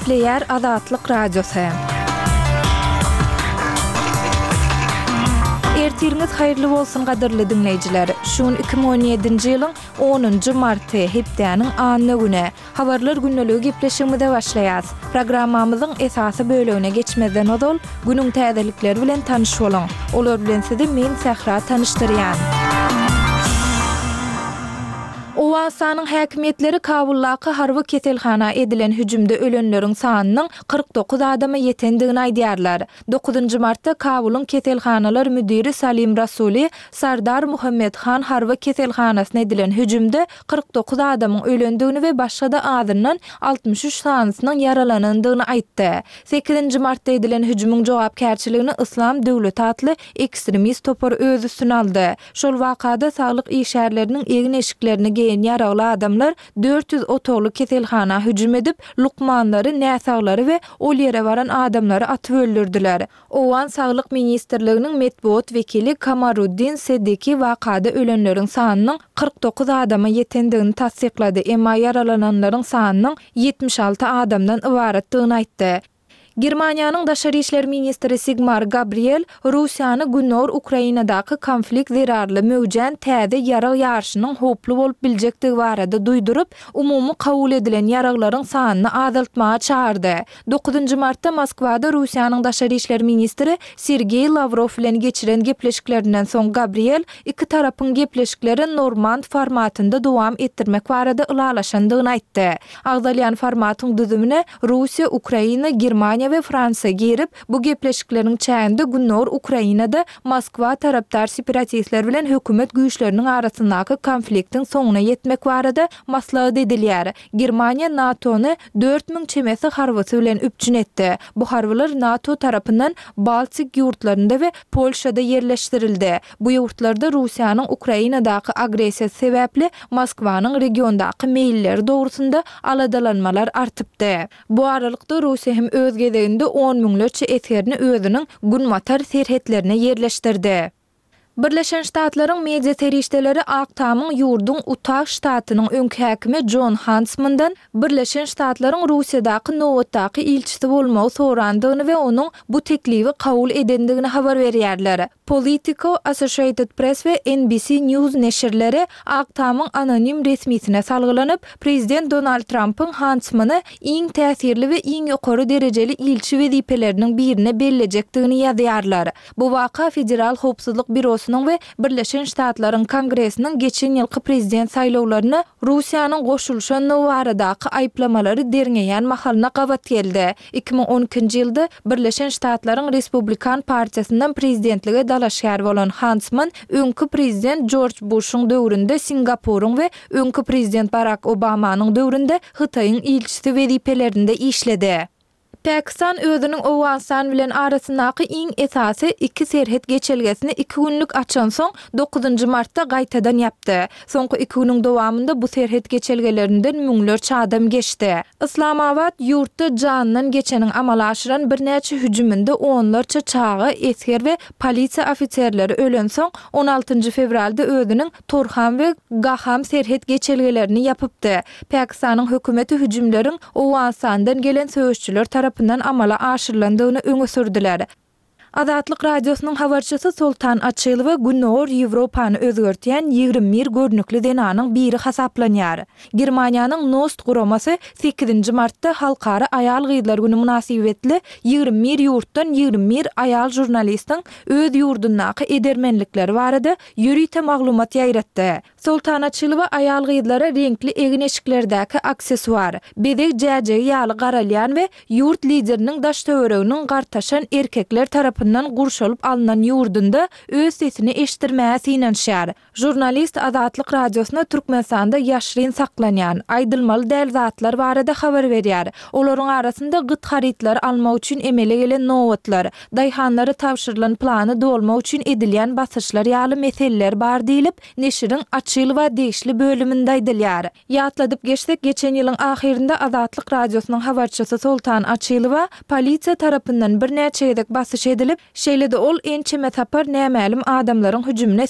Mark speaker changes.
Speaker 1: Gepleýär Azatlyk Radiosy. Ertiriňiz haýyrly bolsun gadyrly diňleýjiler. Şu gün 2017-nji ýylyň onunjy marty, hepdäniň anna güni. Habarlar gündeligi gepleşigimize başlaýas. Programmamyzyň esasy bölegine geçmezden ozal, günüň täzelikleri bilen tanyş boluň. Olar bilen sizi men Sähra tanyşdyrýan. Owganystanyň häkimiýetleri Kabuldaky harby keselhana edilen hüjümde ölenleriň sanynyň 49 adama ýetendigini aýdýarlar. Dokuzynjy martda Kabulyň keselhanalar müdiri Salim Rasuli Sardar Muhammed Han harby keselhanasyna edilen hüjümde 49 adamyň ölendigini we başga-da azyndan 63 sanysynyň ýaralanandygyny aýtdy. Sekizinji martda edilen hüjümiň jogapkärçiligini Yslam döwleti atly ekstremist topar öz üstüne aldy. Şol wakada saglyk işgärleriniň egin-eşiklerini geýen ýaragly adamlar 400 otagly keselhana hüjüm edip, lukmanlary, näsaglary we ol ýere baran adamlary atyp öldürdiler. Owgan Saglyk ministrliginiň metbugat wekili Kamaruddin Seddiki wakada ölenleriň sanynyň 49 adama ýetendigini tassyklady, emma ýaralananlaryň sanynyň 76 adamdan ybaratdygyny aýtdy. Germaniýanyň daşary işler ministri Sigmar Gabriel Russiýany gündogar Ukrainadaky konflikt zerarly möwjän täze ýarag ýaryşynyň howply bolup biljekdigi barada duýduryp, umumy kabul edilen ýaraglaryň sanyny azaltmaga çagyrdy. Dokuzynjy martda Moskwada Russiýanyň daşary işler ministri Sergeý Lawrow bilen geçiren gepleşiklerinden soň Gabriel iki tarapyň gepleşikleri normand formatynda dowam etdirmek barada ylalaşandygyny aýtdy. Agzalýan formatyň düzümine Russiýa, Ukraina, Germaniýa we Fransiýa girip, bu gepleşikleriň çäginde Gündogar Ukrainada Moskwa tarapdar separatistler bilen hökümet güýçleriniň arasyndaky konfliktiň soňuna ýetmek barada maslahat edilýär. Germaniýa NATO-ny 4000 çemesi harbysy bilen üpjün etdi. Bu harbylar NATO tarapyndan Baltik ýurtlarynda we Polşada ýerleşdirildi. Bu ýurtlarda Russiýanyň Ukrainadaky agressiýasy sebäpli Moskwanyň regiondaky meýilleri dogrusynda aladalanmalar artypdy. Bu aralykda, Russiýa hem öz gezeginde on müňlerçe esgerini özüniň günbatar serhetlerine ýerleşdirdi. Birleşen Ştatlaryň media serişdeleri Ak Tamyň ýurduň Utah ştatynyň öňki häkimi Jon Hantsmandan Birleşen Ştatlaryň Russiýadaky nobatdaky ilçisi bolmagy sorandygyny we onuň bu teklibi kabul edendigini habar berýärler. Politico, Associated Press we NBC News neşirleri Ak Tamyň anonim resmisine salgylanyp, prezident Donald Trampyň Hantsmany iň täsirli we iň ýokary derejeli ilçi wezipeleriniň birine bellejekdigini ýazýarlar. Bu waka Federal howpsuzlyk býurosynyň we Birleşen Ştatlaryň Kongresiniň geçen ýylky prezident saýlawlaryna Russiýanyň goşulyşandygy baradaky aýyplamalary derňeýän mahalyna gabat geldi. 2012-nji ýylda Birleşen Ştatlaryň Respublikan partiýasyndan prezidentlige dalaşgär bolan Hantsman öňki prezident Jorj Buşuň döwründe Singapuryň we öňki prezident Barak Obamanyň döwründe Hytaýyň ilçisi wezipelerinde işledi. Pakistan özüniň Owganystan bilen arasyndaky iň esasy iki serhet geçelgesini iki günlük açansoň, dokuzynjy martda gaýtadan ýapdy. Soňky iki günüň dowamynda bu serhet geçelgelerinden müňlerçe adam geçdi. Yslamabat ýurtda janyndan geçeniň amala aşyran birnäçe hüjüminde onlarça çaga, esger we polisiýa ofiserleri ölensoň, on altynjy fewralda özüniň Torham we Gaham serhet geçelgelerini ýapypdy. Pakistanyň hökümeti hüjümleriň Owganystandan gelen söweşçiler tarapyndan amala aşyrylandygyny öňe sürdüler. Azatlyk Radiosynyň habarçysy Soltan Açylowa Gündogar Ýewropany özgertýän 21 görnükli zenanyň biri hasaplanýar. Germaniýanyň Nost guramasy sekizinji martda Halkara aýal-gyzlar güni mynasybetli 21 ýurtdan 21 aýal žurnalistiň öz ýurdundaky edermenlikleri barada ýörite maglumat ýaýratdy. Soltan Açylowa aýal-gyzlara reňkli egin-eşiklerdäki aksesuar, bezeg jäjegi ýaly garalýan we ýurt lideriniň daş-töwereginiň gartaşan erkekler tarapyndan gurşalyp alnan ýurdunda öz sesini eşitdirmäge synanyşýar. Žurnalist Azatlyk Radiosyna Türkmenistanda ýaşryn saklanýan, aýdylmaly däl zatlar barada habar berýär. Olaryň arasynda gyt harytlary almak üçin emele gelen nobatlar, daýhanlara tabşyrylan plany dolmak üçin edilýän basyşlar ýaly meseleler bar diýlip, neşiriň Açylowa degişli bölüminde aýdylýar. Ýatladyp geçsek, geçen ýylyň ahyrynda Azatlyk Radiosynyň habarçysy Soltan Açylowa polisiýa tarapyndan birnäçe gezek basyş edilip, şeýle-de ol ençeme sapar nämälim adamlaryň hüjümine.